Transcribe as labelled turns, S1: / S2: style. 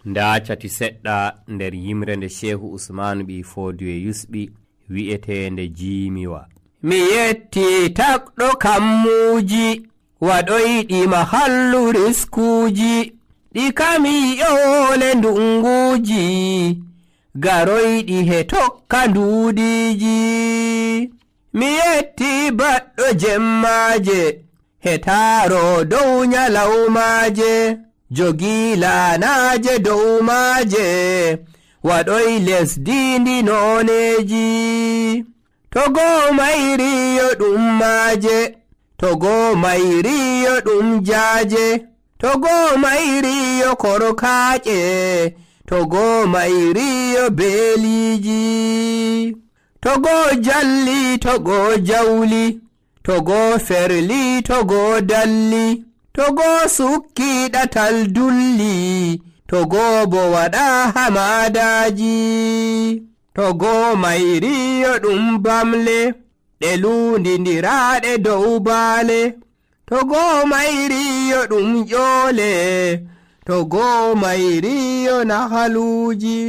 S1: nda cati seɗɗa nder yimre nde Shehu Usmanu ɓi Fodiyo yusɓi wi'etende jiimiwa. Mi yetti takɗo kammuji waɗoyɗima hallu riskuji ɗi kami yoole ndunguji garoyɗi he tokka nduudiji. Mi yetti baɗɗo jemmaje he taaro dow nyalawmaje jogi laanaje dow maaje waɗoy lesdi ndi nooneji. Togo mayriyo ɗum maaje, togo mayriyo ɗum jaaje, togo mayriyo korkaaƴe, togo mayriyo beeliji. Togo jalli, togo jawli, togo ferli, togo dalli, togo sukki ɗatal dulli, togo bo waɗa hamadaji. Togo mayriyo ɗum bamle ɗe lundindiraɗe dow baale, togo mayriyo ɗum ƴoole, togo mayriyo nahaluji.